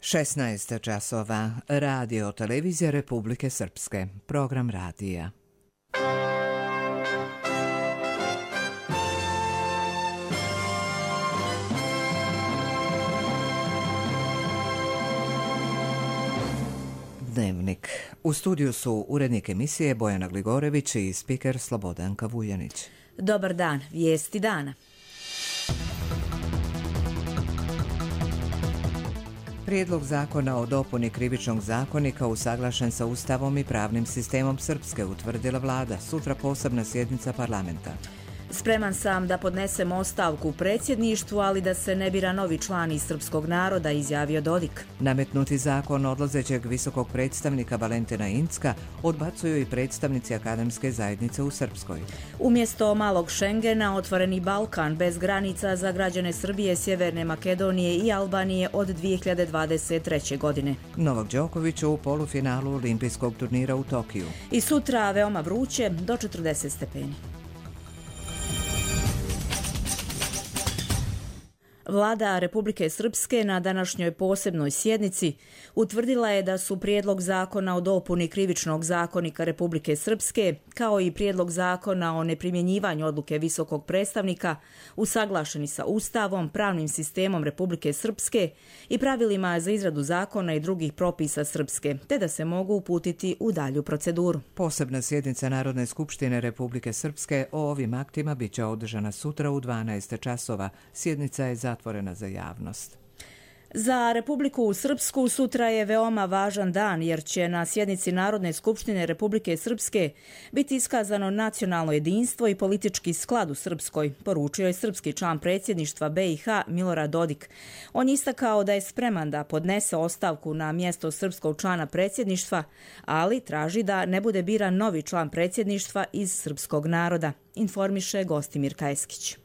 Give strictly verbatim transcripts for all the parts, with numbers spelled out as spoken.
šesnaest časova. Radio Televizija Republike Srpske. Program radija. Dnevnik. U studiju su urednik emisije Bojana Gligorević i spiker Slobodanka Vuljanić. Dobar dan, vijesti dana. Prijedlog zakona o dopuni Krivičnog zakonika usaglašen sa Ustavom i pravnim sistemom Srpske, utvrdila vlada. Sutra posebna sjednica parlamenta. Spreman sam da podnesem ostavku u predsjedništvu, ali da se ne bira novi član iz srpskog naroda, izjavio Dodik. Nametnuti zakon odlazećeg visokog predstavnika Valentina Incka odbacuju i predstavnici akademske zajednice u Srpskoj. Umjesto malog Šengena, otvoreni Balkan bez granica za građane Srbije, Sjeverne Makedonije i Albanije od dvije hiljade dvadeset treće. godine. Novak Đoković u polufinalu olimpijskog turnira u Tokiju. I sutra veoma vruće, do četrdeset stepeni. Vlada Republike Srpske na današnjoj posebnoj sjednici utvrdila je da su prijedlog zakona o dopuni Krivičnog zakonika Republike Srpske kao i prijedlog zakona o neprimjenjivanju odluke visokog predstavnika usaglašeni sa Ustavom, pravnim sistemom Republike Srpske i pravilima za izradu zakona i drugih propisa Srpske, te da se mogu uputiti u dalju proceduru. Posebna sjednica Narodne skupštine Republike Srpske o ovim aktima bit će održana sutra u dvanaest časova. Sjednica je zatvorena za javnost. Za Republiku Srpsku sutra je veoma važan dan jer će na sjednici Narodne skupštine Republike Srpske biti iskazano nacionalno jedinstvo i politički sklad u Srpskoj, poručio je srpski član predsjedništva B i H Milorad Dodik. On je istakao da je spreman da podnese ostavku na mjesto srpskog člana predsjedništva, ali traži da ne bude biran novi član predsjedništva iz srpskog naroda, informiše Gostimir Kajeskić.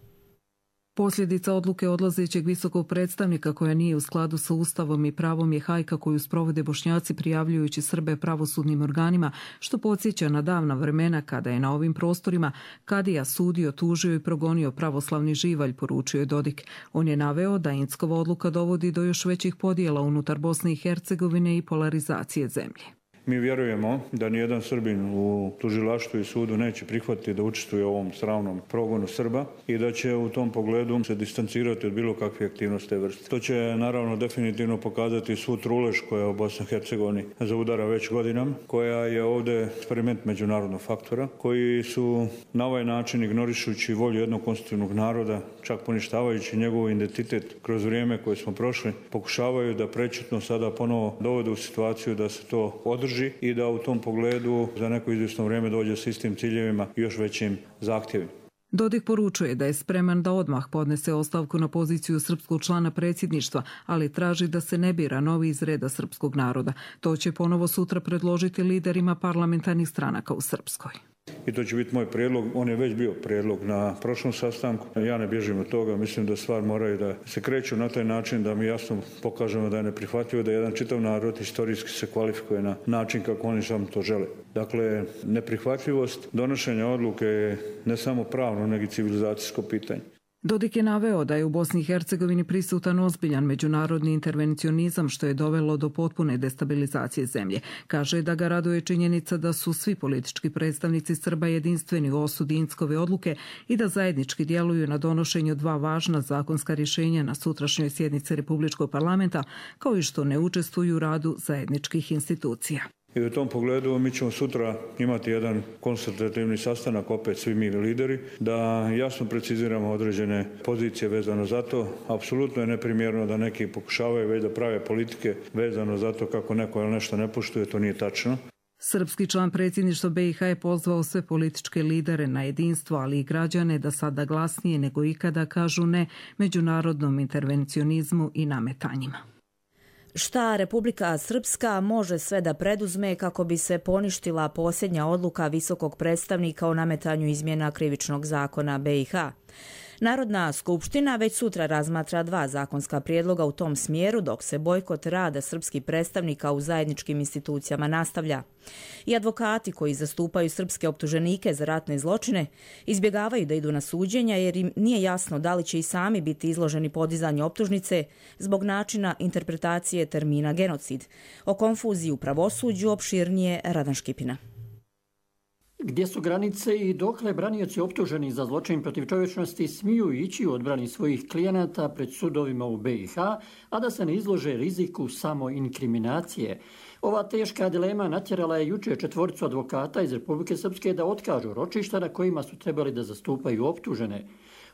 Posljedica odluke odlazećeg visokog predstavnika koja nije u skladu sa Ustavom i pravom je hajka koju sprovode Bošnjaci prijavljujući Srbe pravosudnim organima, što podsjeća na davna vremena kada je na ovim prostorima kadija sudio, tužio i progonio pravoslavni živalj, poručio je Dodik. On je naveo da Inckova odluka dovodi do još većih podjela unutar Bosne i Hercegovine i polarizacije zemlje. Mi vjerujemo da nijedan Srbin u tužilaštvu i sudu neće prihvatiti da učestvuje u ovom sramnom progonu Srba i da će u tom pogledu se distancirati od bilo kakve aktivnosti te vrste. To će naravno definitivno pokazati svu trulež koja je u Bosni i Hercegovini zaudara već godinama, koja je ovdje eksperiment međunarodnog faktora, koji su na ovaj način ignorišući volju jednog konstitutivnog naroda, čak poništavajući njegov identitet kroz vrijeme koje smo prošli, pokušavaju da prečutno sada ponovo dovode u situaciju da se to održi i da u tom pogledu za neko izvjesno vrijeme dođe s istim ciljevima i još većim zahtjevima. Dodik poručuje da je spreman da odmah podnese ostavku na poziciju srpskog člana predsjedništva, ali traži da se ne bira novi iz reda srpskog naroda. To će ponovo sutra predložiti liderima parlamentarnih stranaka u Srpskoj. I to će biti moj prijedlog, on je već bio prijedlog na prošlom sastanku. Ja ne bježim od toga, mislim da stvar moraju da se kreću na taj način da mi jasno pokažemo da je neprihvatljivo da jedan čitav narod historijski se kvalifikuje na način kako oni sam to žele. Dakle, neprihvatljivost donošenja odluke je ne samo pravno, nego i civilizacijsko pitanje. Dodik je naveo da je u Bosni i Hercegovini prisutan ozbiljan međunarodni intervencionizam što je dovelo do potpune destabilizacije zemlje. Kaže da ga raduje činjenica da su svi politički predstavnici Srba jedinstveni u osudi Inckove odluke i da zajednički djeluju na donošenju dva važna zakonska rješenja na sutrašnjoj sjednici Republičkog parlamenta, kao i što ne učestvuju u radu zajedničkih institucija. I u tom pogledu mi ćemo sutra imati jedan konsultativni sastanak, opet svi mi lideri, da jasno preciziramo određene pozicije vezano za to. Apsolutno je neprimjerno da neki pokušavaju već da prave politike vezano za to kako neko nešto ne poštuje, to nije tačno. Srpski član predsjedništva B i H je pozvao sve političke lidere na jedinstvo, ali i građane da sada glasnije nego ikada kažu ne međunarodnom intervencionizmu i nametanjima. Šta Republika Srpska može sve da preduzme kako bi se poništila posljednja odluka visokog predstavnika o nametanju izmjena Krivičnog zakona B i H? Narodna skupština već sutra razmatra dva zakonska prijedloga u tom smjeru, dok se bojkot rada srpskih predstavnika u zajedničkim institucijama nastavlja. I advokati koji zastupaju srpske optuženike za ratne zločine izbjegavaju da idu na suđenja jer im nije jasno da li će i sami biti izloženi podizanju optužnice zbog načina interpretacije termina genocid. O konfuziji u pravosuđu opširnije Radan Škipina. Gdje su granice i dokle branioci optuženi za zločin protiv čovječnosti smiju ići u odbrani svojih klijenata pred sudovima u B i H, a da se ne izlože riziku samo inkriminacije? Ova teška dilema natjerala je jučer četvoricu advokata iz Republike Srpske da otkažu ročišta na kojima su trebali da zastupaju optužene.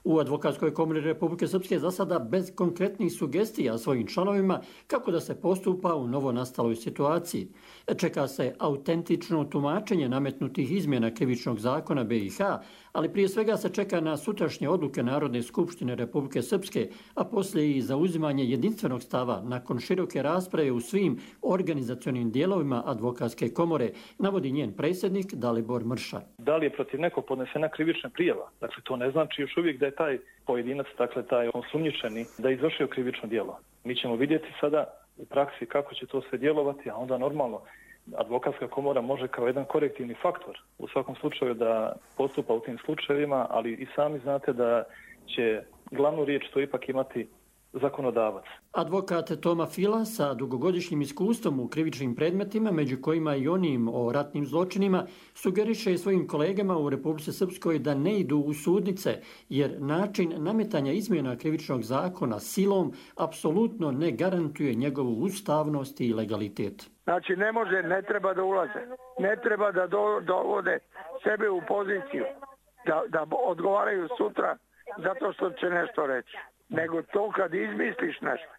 U Advokatskoj komori Republike Srpske za sada bez konkretnih sugestija svojim članovima kako da se postupa u novonastaloj situaciji. Čeka se autentično tumačenje nametnutih izmjena krivičnog zakona B i H, ali prije svega se čeka na sutrašnje odluke Narodne skupštine Republike Srpske, a poslije i zauzimanje jedinstvenog stava nakon široke rasprave u svim organizacionim dijelovima Advokatske komore, navodi njen predsjednik Dalibor Mrša. Da li je protiv nekog podnesena krivična prijava? Dakle, to ne znači još uvijek da je taj pojedinac, dakle taj osumnjičeni, da je izvršio krivično djelo. Mi ćemo vidjeti sada u praksi kako će to sve djelovati, a onda normalno Advokatska komora može kao jedan korektivni faktor u svakom slučaju da postupa u tim slučajevima, ali i sami znate da će glavnu riječ to ipak imati zakonodavac. Advokat Toma Fila sa dugogodišnjim iskustvom u krivičnim predmetima, među kojima i onim o ratnim zločinima, sugeriše svojim kolegama u Republici Srpskoj da ne idu u sudnice, jer način nametanja izmjena krivičnog zakona silom apsolutno ne garantuje njegovu ustavnost i legalitet. Znači ne može, ne treba da ulaze, ne treba da dovode sebe u poziciju, da, da odgovaraju sutra zato što će nešto reći. Nego to kad izmisliš nešto,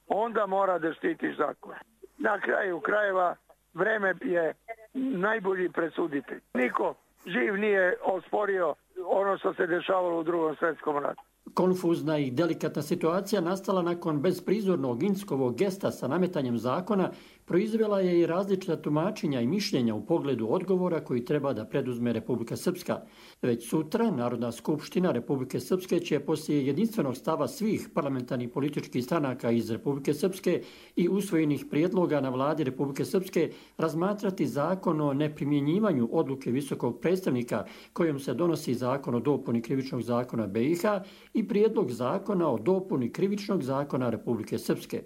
onda mora da štitiš zakon. Na kraju krajeva vreme je najbolji presuditelj. Niko živ nije osporio ono što se dešavalo u Drugom svjetskom ratu. Konfuzna i delikatna situacija nastala nakon bezprizornog Inckovog gesta sa nametanjem zakona proizvela je i različita tumačenja i mišljenja u pogledu odgovora koji treba da preduzme Republika Srpska. Već sutra Narodna skupština Republike Srpske će poslije jedinstvenog stava svih parlamentarnih političkih stranaka iz Republike Srpske i usvojenih prijedloga na vladi Republike Srpske razmatrati zakon o neprimjenjivanju odluke visokog predstavnika kojom se donosi zakon o dopuni krivičnog zakona B i H i prijedlog zakona o dopuni krivičnog zakona Republike Srpske.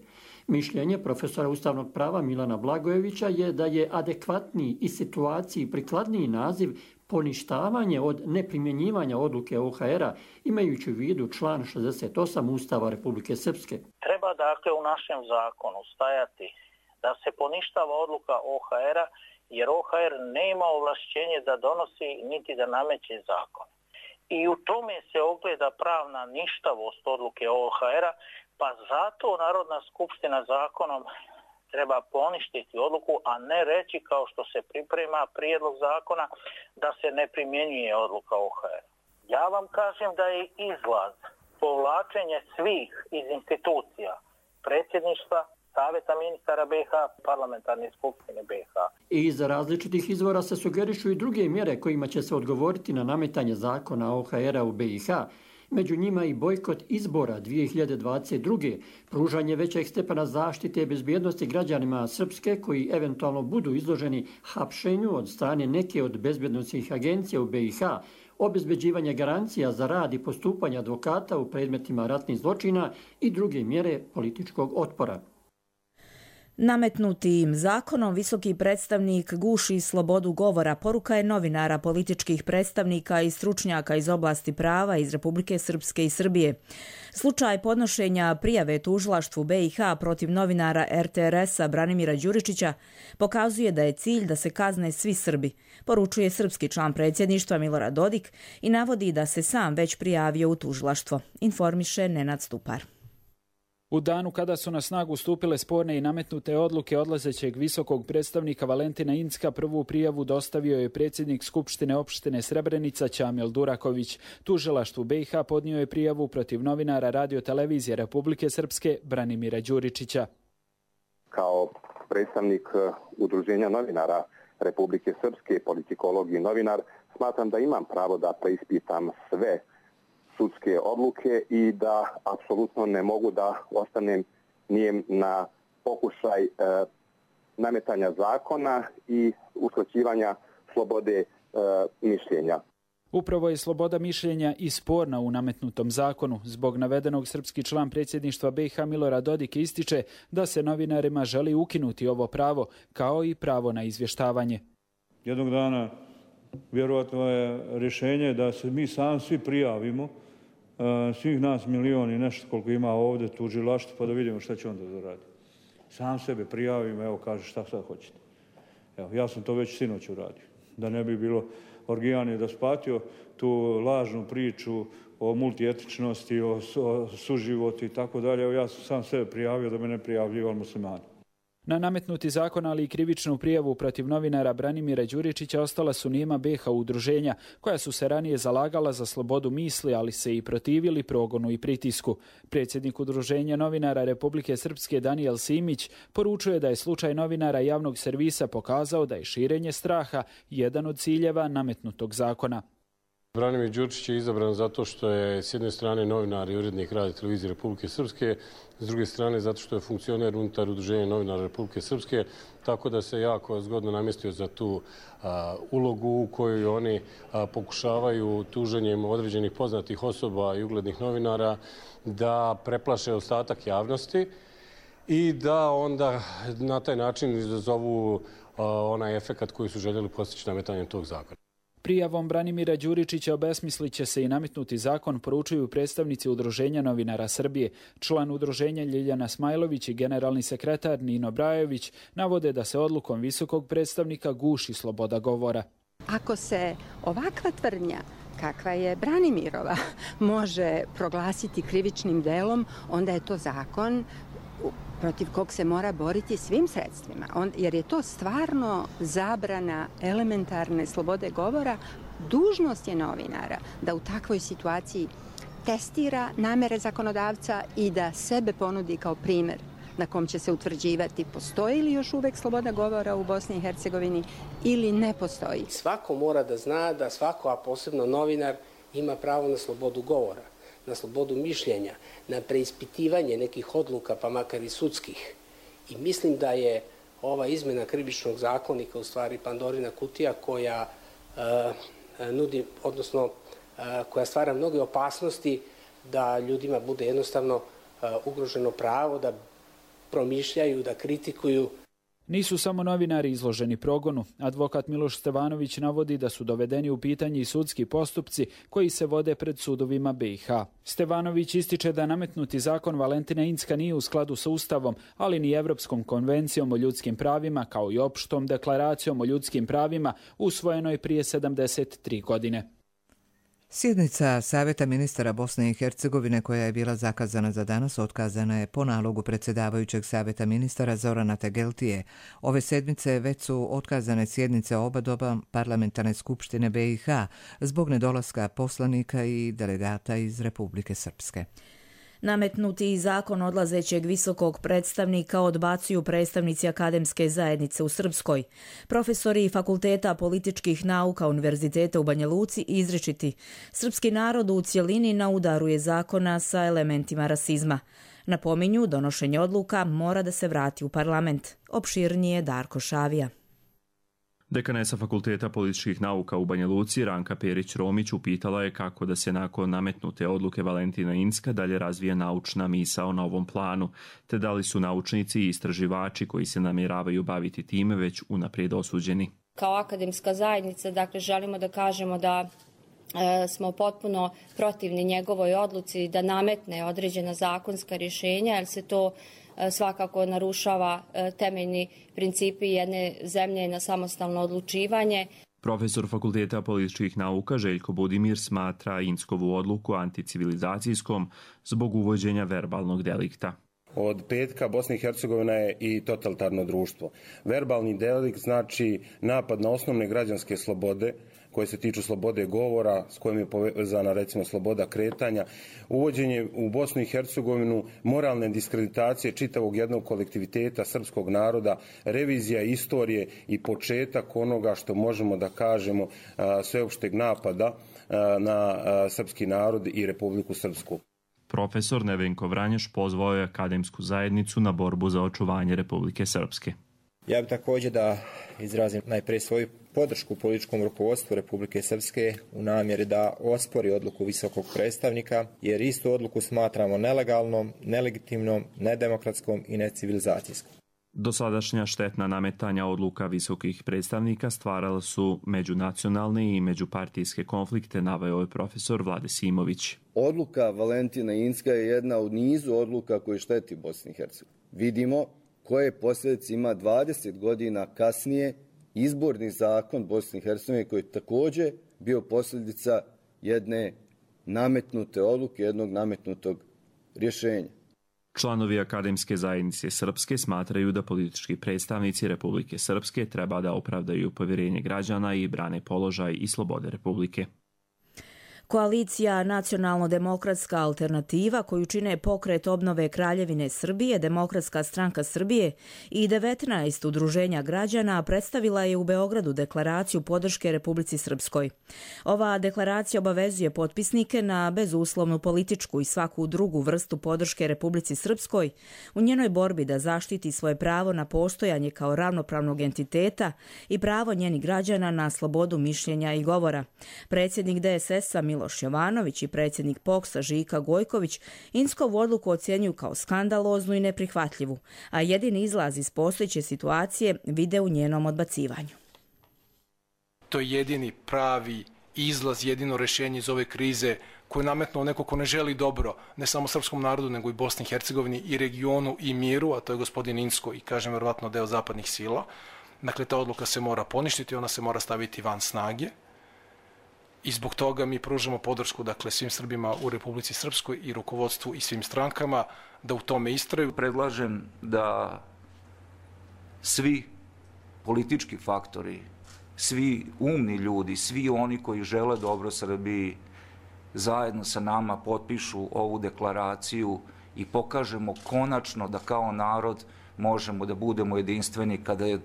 Mišljenje profesora ustavnog prava Milana Blagojevića je da je adekvatniji i situaciji prikladniji naziv poništavanje od neprimjenjivanja odluke O H R-a, imajući u vidu član šezdeset osam Ustava Republike Srpske. Treba dakle u našem zakonu stajati da se poništava odluka O H R-a, jer O H R nema ovlašćenje da donosi niti da nameće zakon. I u tome se ogleda pravna ništavost odluke O H R-a, pa zato Narodna skupština zakonom treba poništiti odluku, a ne reći kao što se priprema prijedlog zakona da se ne primjenjuje odluka O H R. Ja vam kažem da je izlaz povlačenje svih iz institucija predsjedništva, Savjeta ministara B i H, parlamentarne skupštine B i H. I iz različitih izvora se sugerišu i druge mjere kojima će se odgovoriti na nametanje zakona O H R-a u B i H. Među njima i bojkot izbora dvije hiljade dvadeset druge, pružanje većeg stepena zaštite i bezbjednosti građanima Srpske koji eventualno budu izloženi hapšenju od strane neke od bezbjednosnih agencija u B i H, obezbeđivanje garancija za rad i postupanje advokata u predmetima ratnih zločina i druge mjere političkog otpora. Nametnutim zakonom visoki predstavnik guši slobodu govora, poruka je novinara, političkih predstavnika i stručnjaka iz oblasti prava iz Republike Srpske i Srbije. Slučaj podnošenja prijave tužilaštvu B i H protiv novinara R T R S-a Branimira Đuričića pokazuje da je cilj da se kazne svi Srbi, poručuje srpski član predsjedništva Milorad Dodik i navodi da se sam već prijavio u tužilaštvo, informiše Nenad Stupar. U danu kada su na snagu stupile sporne i nametnute odluke odlazećeg visokog predstavnika Valentina Incka, prvu prijavu dostavio je predsjednik Skupštine opštine Srebrenica Ćamil Duraković. Tužilaštvu B i H podnio je prijavu protiv novinara Radio-televizije Republike Srpske Branimira Đuričića. Kao predstavnik Udruženja novinara Republike Srpske, politikolog i novinar, smatram da imam pravo da preispitam sve sudske odluke i da apsolutno ne mogu da ostanem nijem na pokušaj e, nametanja zakona i uskraćivanja slobode e, mišljenja. Upravo je sloboda mišljenja i sporna u nametnutom zakonu. Zbog navedenog srpski član predsjedništva B i H Milorad Dodik ističe da se novinarima želi ukinuti ovo pravo, kao i pravo na izvještavanje. Jednog dana vjerojatno je rješenje da se mi sami svi prijavimo, svih nas milion i nešto koliko ima ovdje tužilaštvo, pa da vidimo šta će onda da radi. Sam sebe prijavim, evo kaže šta sad hoćete. Evo, ja sam to već sinoć uradio. Da ne bi bilo orgijan je da spatio tu lažnu priču o multietičnosti, o, o suživotu i tako dalje. Evo, ja sam sam sebe prijavio da me ne prijavljivali muslimani. Na nametnuti zakon, ali i krivičnu prijavu protiv novinara Branimira Đuričića ostala su nijema B i H udruženja, koja su se ranije zalagala za slobodu misli, ali se i protivili progonu i pritisku. Predsjednik udruženja novinara Republike Srpske Danijel Simić poručuje da je slučaj novinara javnog servisa pokazao da je širenje straha jedan od ciljeva nametnutog zakona. Branimir Đuričić je izabran zato što je s jedne strane novinar i urednik Radio televizije Republike Srpske, s druge strane zato što je funkcioner unutar udruženja novinara Republike Srpske, tako da se jako zgodno namjestio za tu a, ulogu u kojoj oni a, pokušavaju tuženjem određenih poznatih osoba i uglednih novinara da preplaše ostatak javnosti i da onda na taj način izazovu a, onaj efekat koji su željeli postići nametanjem tog zakona. Prijavom Branimira Đuričića obesmislit će se i nametnuti zakon, poručuju predstavnici Udruženja novinara Srbije. Član udruženja Ljiljana Smajlović i generalni sekretar Nino Brajović navode da se odlukom visokog predstavnika guši sloboda govora. Ako se ovakva tvrdnja kakva je Branimirova može proglasiti krivičnim delom, onda je to zakon protiv kog se mora boriti svim sredstvima, On, jer je to stvarno zabrana elementarne slobode govora. Dužnost je novinara da u takvoj situaciji testira namere zakonodavca i da sebe ponudi kao primjer na kom će se utvrđivati postoji li još uvek sloboda govora u Bosni i Hercegovini ili ne postoji. Svako mora da zna da svako, a posebno novinar, ima pravo na slobodu govora, na slobodu mišljenja, na preispitivanje nekih odluka, pa makar i sudskih. I mislim da je ova izmjena krivičnog zakonika u stvari Pandorina kutija koja uh, nudi, odnosno uh, koja stvara mnoge opasnosti da ljudima bude jednostavno uh, ugroženo pravo da promišljaju, da kritikuju. Nisu samo novinari izloženi progonu. Advokat Miloš Stevanović navodi da su dovedeni u pitanje i sudski postupci koji se vode pred sudovima B i H. Stevanović ističe da nametnuti zakon Valentina Incka nije u skladu sa Ustavom, ali ni Evropskom konvencijom o ljudskim pravima, kao i opštom deklaracijom o ljudskim pravima usvojenoj prije sedamdeset tri godine. Sjednica Savjeta ministara Bosne i Hercegovine koja je bila zakazana za danas otkazana je po nalogu predsjedavajućeg Savjeta ministara Zorana Tegeltije. Ove sedmice već su otkazane sjednice oba doba parlamentarne skupštine B i H zbog nedolaska poslanika i delegata iz Republike Srpske. Nametnuti zakon odlazećeg visokog predstavnika odbacuju predstavnici akademske zajednice u Srpskoj. Profesori Fakulteta političkih nauka Univerziteta u Banja Luci izričiti: srpski narod u cjelini na udaru je zakona sa elementima rasizma. Napominju, donošenje odluka mora da se vrati u parlament. Opširnije Darko Šavija. Dekanesa Fakulteta političkih nauka u Banja Luci Ranka Perić-Romić upitala je kako da se nakon nametnute odluke Valentina Incka dalje razvija naučna misao na ovom planu, te da li su naučnici i istraživači koji se namjeravaju baviti time već unaprijed osuđeni. Kao akademska zajednica, dakle, želimo da kažemo da e, smo potpuno protivni njegovoj odluci da nametne određena zakonska rješenja, jer se to svakako narušava temeljni principi jedne zemlje na samostalno odlučivanje. Profesor Fakulteta političkih nauka Željko Budimir smatra Inckovu odluku anticivilizacijskom zbog uvođenja verbalnog delikta. Od petka Bosna i Hercegovina je i totalitarno društvo. Verbalni delikt znači napad na osnovne građanske slobode koje se tiču slobode govora, s kojim je povezana recimo sloboda kretanja, uvođenje u Bosnu i Hercegovinu moralne diskreditacije čitavog jednog kolektiviteta srpskog naroda, revizija istorije i početak onoga što možemo da kažemo sveopšteg napada na srpski narod i Republiku Srpsku. Profesor Nevenko Vranješ pozvao je akademsku zajednicu na borbu za očuvanje Republike Srpske. Ja bih također da izrazim najprije svoju podršku političkom rukovodstvu Republike Srpske u namjeri da ospori odluku visokog predstavnika, jer istu odluku smatramo nelegalnom, nelegitimnom, nedemokratskom i necivilizacijskom. Dosadašnja štetna nametanja odluka visokih predstavnika stvarala su međunacionalne i međupartijske konflikte, naveo je profesor Vlade Simović. Odluka Valentina Incka je jedna u nizu odluka koje šteti Bosni i Hercegovini. Vidimo koje posljedice ima dvadeset godina kasnije izborni zakon Bosne i Hercegovine koji je također bio posljedica jedne nametnute odluke, jednog nametnutog rješenja. Članovi Akademske zajednice Srpske smatraju da politički predstavnici Republike Srpske treba da opravdaju povjerenje građana i brane položaj i slobode Republike. Koalicija Nacionalno-demokratska alternativa, koju čine Pokret obnove Kraljevine Srbije, Demokratska stranka Srbije i devetnaest udruženja građana, predstavila je u Beogradu deklaraciju podrške Republici Srpskoj. Ova deklaracija obavezuje potpisnike na bezuslovnu političku i svaku drugu vrstu podrške Republici Srpskoj u njenoj borbi da zaštiti svoje pravo na postojanje kao ravnopravnog entiteta i pravo njenih građana na slobodu mišljenja i govora. Predsjednik D S S-a Miloš Jovanović i predsjednik P O K S-a Žika Gojković Inckovu odluku ocjenjuju kao skandaloznu i neprihvatljivu, a jedini izlaz iz postojeće situacije vide u njenom odbacivanju. To je jedini pravi izlaz, jedino rješenje iz ove krize koje je nametnuo neko ko ne želi dobro ne samo srpskom narodu, nego i Bosni i Hercegovini i regionu i miru, a to je gospodin Incko i, kažem, vjerovatno deo zapadnih sila. Dakle, ta odluka se mora poništiti, ona se mora staviti van snage. I zbog toga mi pružamo podršku, dakle, svim Srbima u Republici Srpskoj i rukovodstvu i svim strankama da u tome istraju. Predlažem da svi politički faktori, svi umni ljudi, svi oni koji žele dobro Srbiji zajedno sa nama potpišu ovu deklaraciju i pokažemo konačno da kao narod možemo da budemo jedinstveni kada je,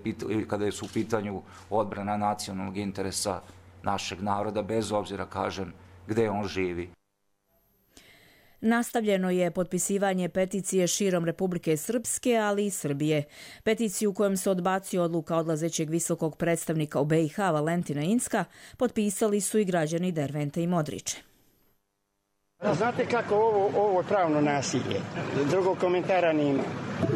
kada je su u pitanju odbrana nacionalnog interesa našeg naroda, bez obzira, kažem, gde on živi. Nastavljeno je potpisivanje peticije širom Republike Srpske, ali i Srbije. Peticiju kojom se odbacio odluka odlazećeg visokog predstavnika u B i H Valentina Incka potpisali su i građani Dervente i Modriče. Znate kako ovo, ovo je pravno nasilje. Drugog komentara nima.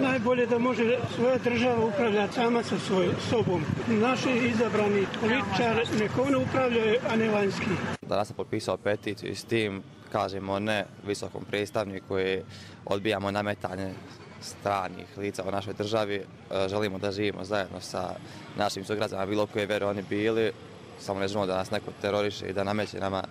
Najbolje da može svoja država upravljati sama sa svoj sobom. Naši izabrani političari nek one upravljaju, a ne vanjski. Danas sam potpisao peticiju i s tim kažemo ne visokom predstavniku i odbijamo nametanje stranih lica u našoj državi. Želimo da živimo zajedno sa našim sugrađanima, bilo koje vere oni bili. Samo ne želimo da nas neko teroriše i da nameće nama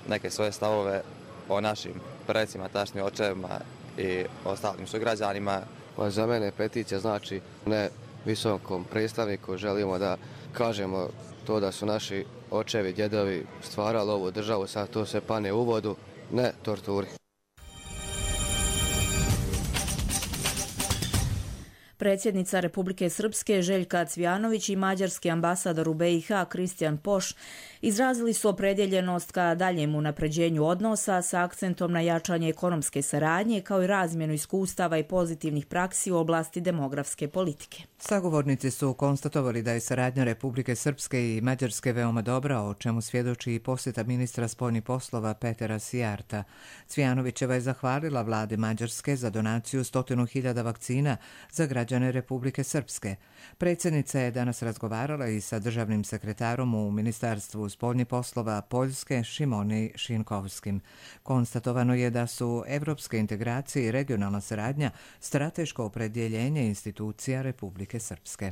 neke svoje stavove o našim predsima, tačnim očevima i ostalim sugrađanima. Za mene peticija znači ne visokom predstavniku, želimo da kažemo to da su naši očevi, djedovi stvarali ovu državu, sad to se pane u vodu, ne torturi. Predsjednica Republike Srpske Željka Cvjanović i mađarski ambasador u B i H Kristijan Poš izrazili su opredjeljenost ka daljem unapređenju odnosa sa akcentom na jačanje ekonomske saradnje kao i razmjenu iskustava i pozitivnih praksi u oblasti demografske politike. Sagovornici su konstatovali da je saradnja Republike Srpske i Mađarske veoma dobra, o čemu svjedoči i posjeta ministra spoljnih poslova Petera Sijarta. Cvjanovićeva je zahvalila vladi Mađarske za donaciju stotinu hiljada vakcina za građane Republike Srpske. Predsjednica je danas razgovarala i sa državnim sekretarom u Ministarstvu spoljnih poslova Poljske Šimoni Šinkovskim. Konstatovano je da su evropske integracije i regionalna saradnja strateško opredjeljenje institucija Republike Srpske.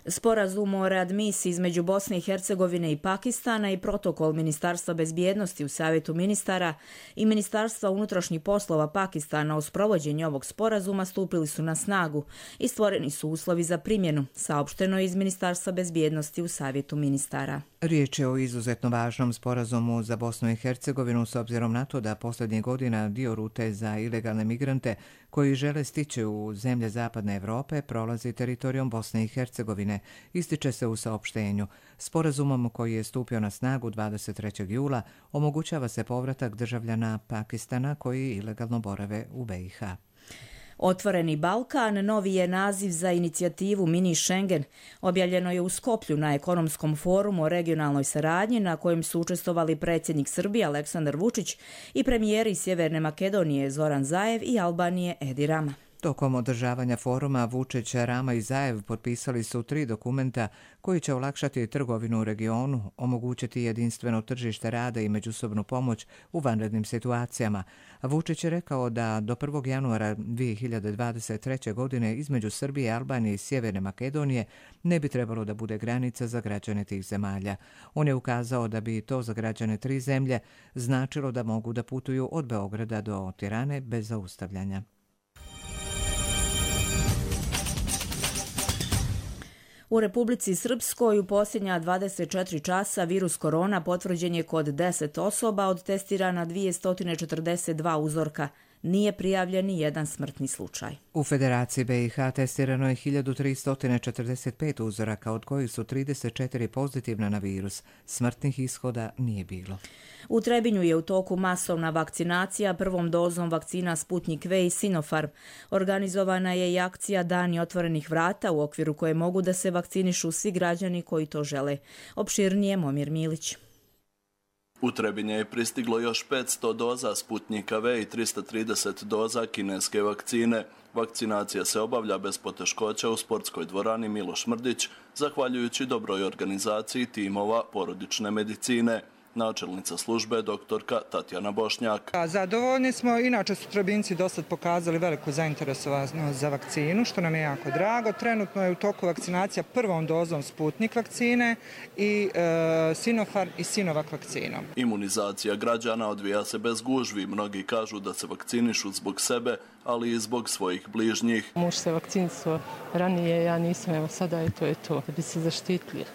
Sporazum o readmisiji između Bosne i Hercegovine i Pakistana i protokol Ministarstva bezbjednosti u Savjetu ministara i Ministarstva unutrašnjih poslova Pakistana o sprovođenju ovog sporazuma stupili su na snagu i stvoreni su uslovi za primjenu, saopšteno je iz Ministarstva bezbjednosti u Savjetu ministara. Riječ je o izuzetno važnom sporazumu za Bosnu i Hercegovinu s obzirom na to da posljednjih godina dio rute za ilegalne migrante koji žele stići u zemlje Zapadne Europe prolazi teritorijom Bosne i Hercegovine, ističe se u saopštenju. Sporazumom koji je stupio na snagu dvadeset trećeg jula omogućava se povratak državljana Pakistana koji ilegalno borave u B i H. Otvoreni Balkan novi je naziv za inicijativu Mini Schengen. Objavljeno je u Skoplju na ekonomskom forumu o regionalnoj saradnji na kojem su učestvovali predsjednik Srbije Aleksandar Vučić i premijeri Sjeverne Makedonije Zoran Zaev i Albanije Edi Rama. Tokom održavanja foruma Vučić, Rama i Zaev potpisali su tri dokumenta koji će olakšati trgovinu u regionu, omogućiti jedinstveno tržište rada i međusobnu pomoć u vanrednim situacijama. Vučić je rekao da do prvog januara dvije hiljade dvadeset treće. godine između Srbije, Albanije i Sjeverne Makedonije ne bi trebalo da bude granica za građane tih zemalja. On je ukazao da bi to za građane tri zemlje značilo da mogu da putuju od Beograda do Tirane bez zaustavljanja. U Republici Srpskoj u posljednja dvadeset četiri časa virus korona potvrđen je kod deset osoba od testirana dvjesto četrdeset dva uzorka. Nije prijavljen ni jedan smrtni slučaj. U Federaciji B i H testirano je hiljadu tristo četrdeset pet uzoraka, od kojih su trideset četiri pozitivna na virus. Smrtnih ishoda nije bilo. U Trebinju je u toku masovna vakcinacija prvom dozom vakcina Sputnik V i Sinopharm. Organizovana je i akcija Dani otvorenih vrata u okviru koje mogu da se vakcinišu svi građani koji to žele. Opširnije Momir Milić. U Trebinje je pristiglo još petsto doza Sputnika V i tristo trideset doza kineske vakcine. Vakcinacija se obavlja bez poteškoća u sportskoj dvorani Miloš Mrdić, zahvaljujući dobroj organizaciji timova porodične medicine. Načelnica službe doktorka Tatjana Bošnjak. Zadovoljni smo, inače su Trebinci dosad pokazali veliku zainteresovanost za vakcinu, što nam je jako drago. Trenutno je u toku vakcinacija prvom dozom Sputnik vakcine i e, Sinopharm i Sinovac vakcinom. Imunizacija građana odvija se bez gužvi. Mnogi kažu da se vakcinišu zbog sebe, ali i zbog svojih bližnjih. Muž se vakcinisao ranije, ja nisam, evo sada je to je to, da bi se zaštitili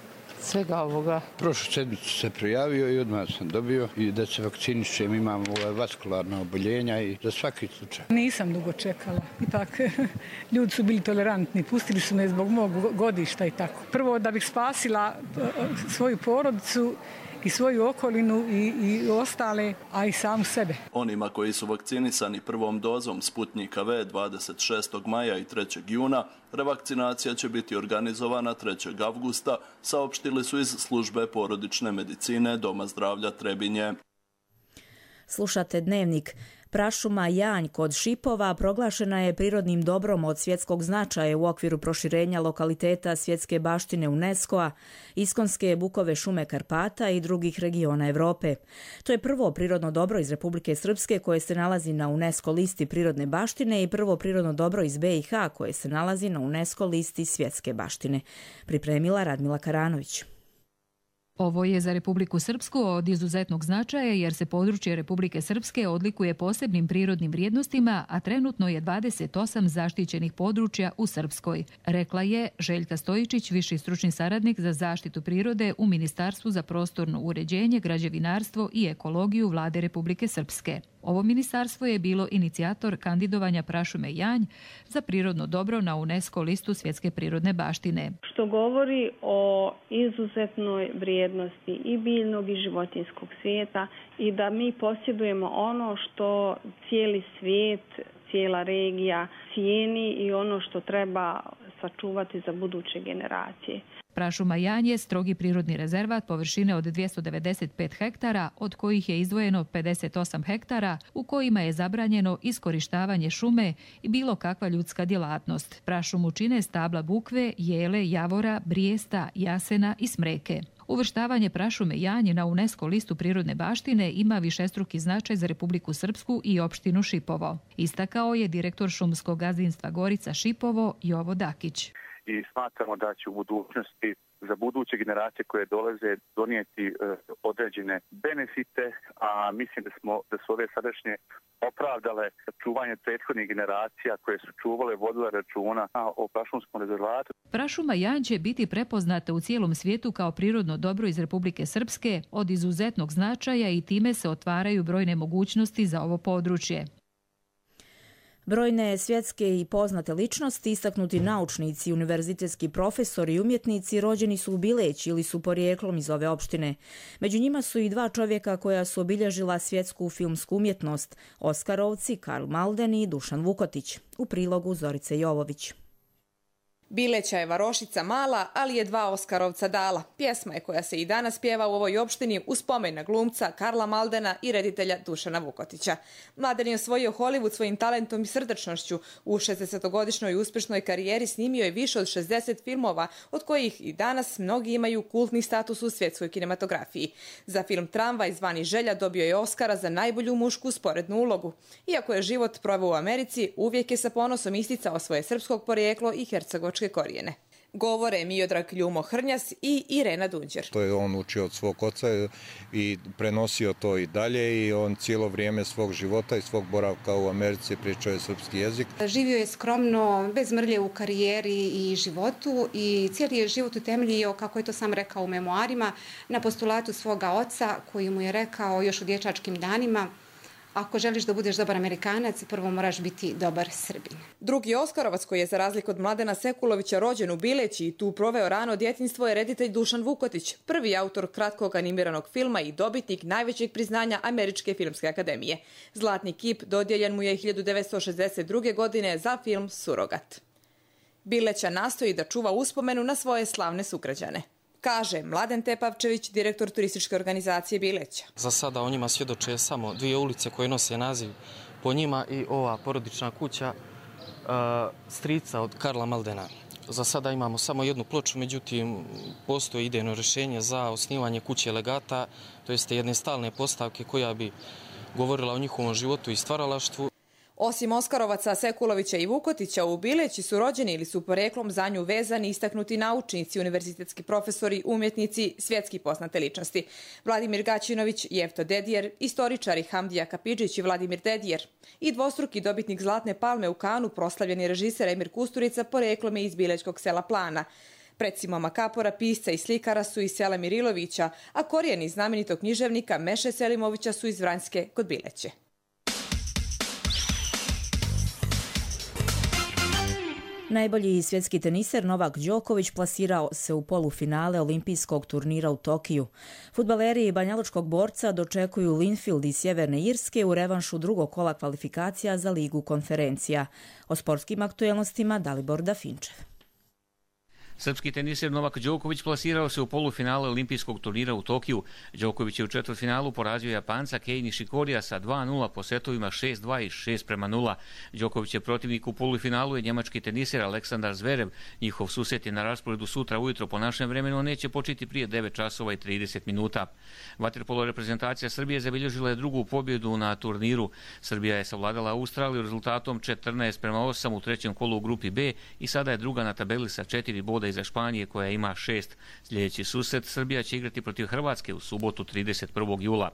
svega ovoga. Prošlu sedmicu se prijavio i odmah sam dobio i da se vakcinišem, imam vaskularna oboljenja i za svaki slučaj. Nisam dugo čekala i tako. Ljudi su bili tolerantni, pustili su me zbog mog godišta i tako. Prvo da bih spasila svoju porodicu i svoju okolinu i, i ostale, a i samu sebe. Onima koji su vakcinisani prvom dozom Sputnika V dvadeset šestog maja i trećeg juna, revakcinacija će biti organizovana trećeg avgusta, saopštili su iz službe porodične medicine Doma zdravlja Trebinje. Slušate Dnevnik. Prašuma Janj kod Šipova proglašena je prirodnim dobrom od svjetskog značaja u okviru proširenja lokaliteta svjetske baštine UNESCO-a, iskonske bukove šume Karpata i drugih regiona Europe. To je prvo prirodno dobro iz Republike Srpske koje se nalazi na UNESCO listi prirodne baštine i prvo prirodno dobro iz B i H koje se nalazi na UNESCO listi svjetske baštine. Pripremila Radmila Karanović. Ovo je za Republiku Srpsku od izuzetnog značaja jer se područje Republike Srpske odlikuje posebnim prirodnim vrijednostima, a trenutno je dvadeset osam zaštićenih područja u Srpskoj, rekla je Željka Stojičić, viši stručni saradnik za zaštitu prirode u Ministarstvu za prostorno uređenje, građevinarstvo i ekologiju Vlade Republike Srpske. Ovo ministarstvo je bilo inicijator kandidovanja prašume Janj za prirodno dobro na UNESCO listu svjetske prirodne baštine. Što govori o izuzetnoj vrijednosti i biljnog i životinjskog svijeta i da mi posjedujemo ono što cijeli svijet, cijela regija cijeni i ono što treba sačuvati za buduće generacije. Prašuma Janj je strogi prirodni rezervat površine od dvjesto devedeset pet hektara, od kojih je izdvojeno pedeset osam hektara u kojima je zabranjeno iskorištavanje šume i bilo kakva ljudska djelatnost. Prašumu čine stabla bukve, jele, javora, brijesta, jasena i smreke. Uvrštavanje prašume Janj na UNESCO listu prirodne baštine ima višestruki značaj za Republiku Srpsku i opštinu Šipovo. Istakao je direktor šumskog gazdinstva Gorica Šipovo Jovo Dakić. I smatramo da će u budućnosti za buduće generacije koje dolaze donijeti e, određene benefite, a mislim da smo da su ove sadašnje opravdale čuvanje prethodnih generacija koje su čuvale, vodile računa o prašumskom rezervatu. Prašuma Janj će biti prepoznata u cijelom svijetu kao prirodno dobro iz Republike Srpske od izuzetnog značaja i time se otvaraju brojne mogućnosti za ovo područje. Brojne svjetske i poznate ličnosti, istaknuti naučnici, univerzitetski profesori i umjetnici rođeni su u Bileći ili su porijeklom iz ove opštine. Među njima su i dva čovjeka koja su obilježila svjetsku filmsku umjetnost, Oskarovci Karl Malden i Dušan Vukotić. U prilogu Zorice Jovović. Bileća je varošica mala, ali je dva Oskarovca dala. Pjesma je koja se i danas pjeva u ovoj opštini u spomen na glumca Karla Maldena i reditelja Dušana Vukotića. Mladen je osvojio Hollywood svojim talentom i srdačnošću. U šezdesetogodišnjoj uspješnoj karijeri snimio je više od šezdeset filmova, od kojih i danas mnogi imaju kultni status u svjetskoj kinematografiji. Za film Tramvaj zvani Želja dobio je Oskara za najbolju mušku sporednu ulogu. Iako je život proveo u Americi, uvijek je sa ponosom isticao svoje srpskog porijeklo i hercegovačke korijene. Govore Miodrag Ljumo Hrnjas i Irena Dunđer. To je on učio od svog oca i prenosio to i dalje i on cijelo vrijeme svog života i svog boravka u Americi pričao je srpski jezik. Živio je skromno, bez mrlje u karijeri i životu i cijeli je život utemeljio, kako je to sam rekao u memoarima, na postulatu svoga oca koji mu je rekao još u dječačkim danima: ako želiš da budeš dobar Amerikanac, prvo moraš biti dobar Srbin. Drugi Oskarovac koji je za razliku od Mladena Sekulovića rođen u Bileći i tu proveo rano djetinjstvo je reditelj Dušan Vukotić, prvi autor kratkog animiranog filma i dobitnik najvećeg priznanja Američke filmske akademije. Zlatni kip dodijeljen mu je hiljadu devetsto šezdeset druge. godine za film Surogat. Bileća nastoji da čuva uspomenu na svoje slavne sugrađane, kaže Mladen Tepavčević, direktor turističke organizacije Bileća. Za sada o njima svjedoče samo dvije ulice koje nose naziv po njima i ova porodična kuća uh, strica od Karla Maldena. Za sada imamo samo jednu ploču, međutim postoji idejno rješenje za osnivanje kuće legata, to jeste jedne stalne postavke koja bi govorila o njihovom životu i stvaralaštvu. Osim Oskarovaca, Sekulovića i Vukotića, u Bileći su rođeni ili su poreklom za nju vezani istaknuti naučnici, univerzitetski profesori, umjetnici, svjetski poznate ličnosti. Vladimir Gaćinović, Jefto Dedijer, istoričari Hamdija Kapidžić i Vladimir Dedijer i dvostruki dobitnik Zlatne palme u Kanu, proslavljeni režiser Emir Kusturica, poreklom je iz bilećkog sela Plana. Preci Moma Kapora, pisca i slikara su iz sela Mirilovića, a korijeni znamenitog književnika Meše Selimovića su iz Vranjske kod Bileće. Najbolji svjetski teniser Novak Đoković plasirao se u polufinale olimpijskog turnira u Tokiju. Fudbaleri banjalučkog borca dočekuju Linfield iz Sjeverne Irske u revanšu drugog kola kvalifikacija za Ligu konferencija. O sportskim aktuelnostima Dalibor Dafinčev. Srpski teniser Novak Đoković plasirao se u polufinale olimpijskog turnira u Tokiju. Đoković je u četvrtfinalu porazio Japanca Kei Nishikorija sa dva nula po setovima šest dva i šest prema nula. Đoković je protivnik u polufinalu je njemački teniser Aleksandar Zverev. Njihov susret je na rasporedu sutra ujutro po našem vremenu, neće početi prije devet časova i trideset minuta. Vaterpolo reprezentacija Srbije zabilježila je drugu pobjedu na turniru. Srbija je savladala Australiju rezultatom četrnaest prema osam u trećem kolu u grupi B i sada je druga na tabeli sa četiri boda iza Španije koja ima šest. Sljedeći susret Srbija će igrati protiv Hrvatske u subotu trideset prvog jula.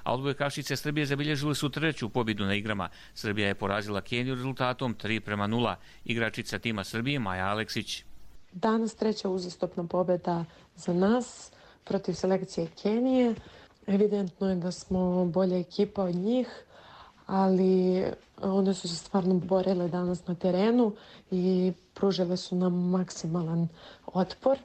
A odbojkašice Srbije zabilježile su treću pobjedu na igrama. Srbija je porazila Keniju rezultatom tri prema nula. Igračica tima Srbije Maja Aleksić. Danas treća uzastopna pobjeda za nas protiv selekcije Kenije. Evidentno je da smo bolja ekipa od njih, ali one su se stvarno borile danas na terenu i pružile su nam maksimalan otpor.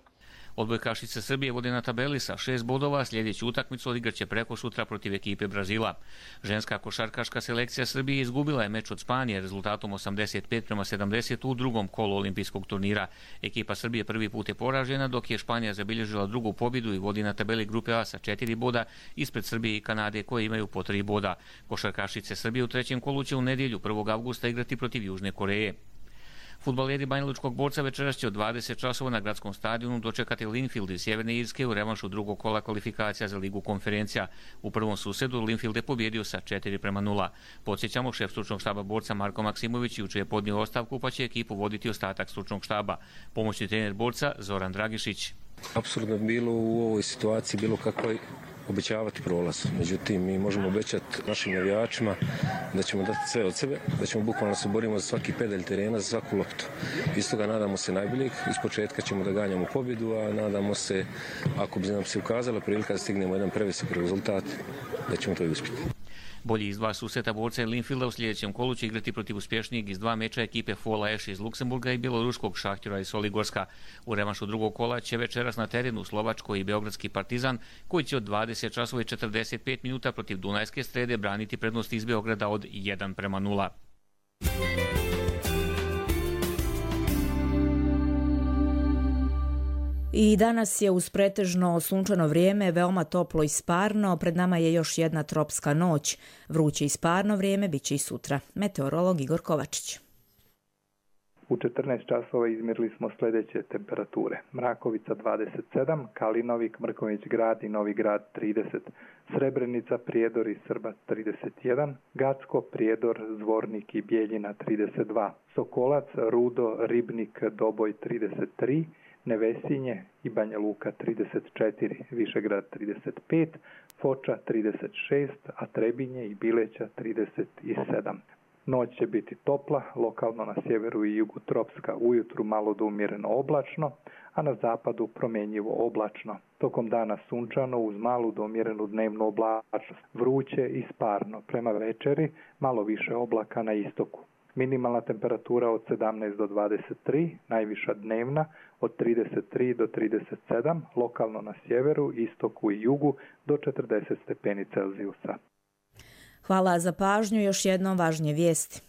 Odbojkašice Srbije vode na tabeli sa šest bodova, sljedeću utakmicu odigraće preko sutra protiv ekipe Brazila. Ženska košarkaška selekcija Srbije izgubila je meč od Španije rezultatom osamdeset pet prema sedamdeset u drugom kolu olimpijskog turnira. Ekipa Srbije prvi put je poražena, dok je Španija zabilježila drugu pobjedu i vodi na tabeli grupe A sa četiri boda ispred Srbije i Kanade koje imaju po tri boda. Košarkašice Srbije u trećem kolu će u nedjelju prvog avgusta igrati protiv Južne Koreje. Fudbaleri banjalučkog borca večeras će od dvadeset časova na gradskom stadionu dočekati Linfield iz Sjeverne Irske u revanšu drugog kola kvalifikacija za Ligu konferencija. U prvom susredu Linfield je pobjedio sa četiri prema nula. Podsjećamo, šef stručnog štaba borca Marko Maksimović jučer je podnio ostavku pa će ekipu voditi ostatak stručnog štaba. Pomoćni trener borca Zoran Dragišić. Apsolutno bilo u ovoj situaciji bilo kakvoj obećavati prolaz. Međutim, mi možemo obećati našim navijačima da ćemo dati sve od sebe, da ćemo bukvalno se borimo za svaki pedalj terena, za svaku loptu. Iz toga nadamo se najboljeg, iz početka ćemo da ganjamo pobjedu, a nadamo se, ako bi nam se ukazala prilika da stignemo jedan previsok rezultat, da ćemo to i uspjeti. Bolji iz dva susreta borca Linfielda u sljedećem kolu će igrati protiv uspješnijeg iz dva meča ekipe Fola Eš iz Luksemburga i bjeloruskog Šahtjora iz Soligorska. U revanšu drugog kola će večeras na terenu Slovačko i Beogradski Partizan, koji će od dvadeset časova i četrdeset pet minuta protiv Dunajske Strede braniti prednost iz Beograda od jedan prema nula. I danas je uz pretežno sunčano vrijeme veoma toplo i sparno. Pred nama je još jedna tropska noć. Vruće i sparno vrijeme bit će i sutra. Meteorolog Igor Kovačić. U četrnaest časova izmjerili smo sljedeće temperature. Mrakovica dvadeset sedam, Kalinovik, Mrkonjić Grad i Novi Grad trideset, Srebrenica, Prijedor i Srbac trideset jedan, Gacko, Prijedor, Zvornik i Bijeljina trideset dva, Sokolac, Rudo, Ribnik, Doboj trideset tri, Nevesinje i Banja Luka trideset četiri, Višegrad trideset pet, Foča trideset šest, a Trebinje i Bileća trideset sedam. Noć će biti topla, lokalno na sjeveru i jugu tropska, ujutru malo do umjereno oblačno, a na zapadu promjenjivo oblačno. Tokom dana sunčano uz malu do umjerenu dnevnu oblačnost, vruće i sparno. Prema večeri malo više oblaka na istoku. Minimalna temperatura od sedamnaest do dvadeset tri, najviša dnevna od trideset tri do trideset sedam, lokalno na sjeveru, istoku i jugu do četrdeset stepeni Celzijusa. Hvala za pažnju, još jednom važnije vijesti.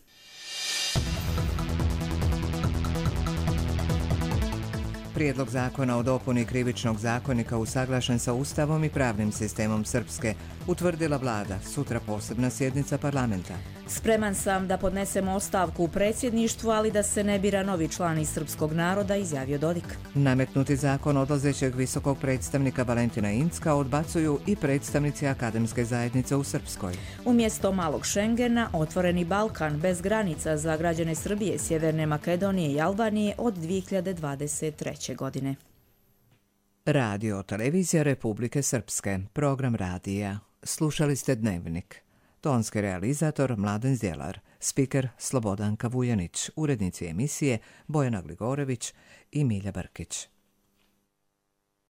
Prijedlog zakona o dopuni krivičnog zakonika usaglašen sa Ustavom i pravnim sistemom Srpske, utvrdila vlada, sutra posebna sjednica parlamenta. Spreman sam da podnesem ostavku u predsjedništvu, ali da se ne bira novi član iz srpskog naroda, izjavio Dodik. Nametnuti zakon odlazećeg visokog predstavnika Valentina Incka odbacuju i predstavnici akademske zajednice u Srpskoj. Umjesto malog Šengena, otvoreni Balkan bez granica za građane Srbije, Sjeverne Makedonije i Albanije od dvije hiljade dvadeset treće. godine. Radio Televizija Republike Srpske, program radija. Slušali ste Dnevnik. Tonski realizator Mladen Zjelar, spiker Slobodanka Vujanić, urednici emisije Bojana Gligorević i Milja Brkić.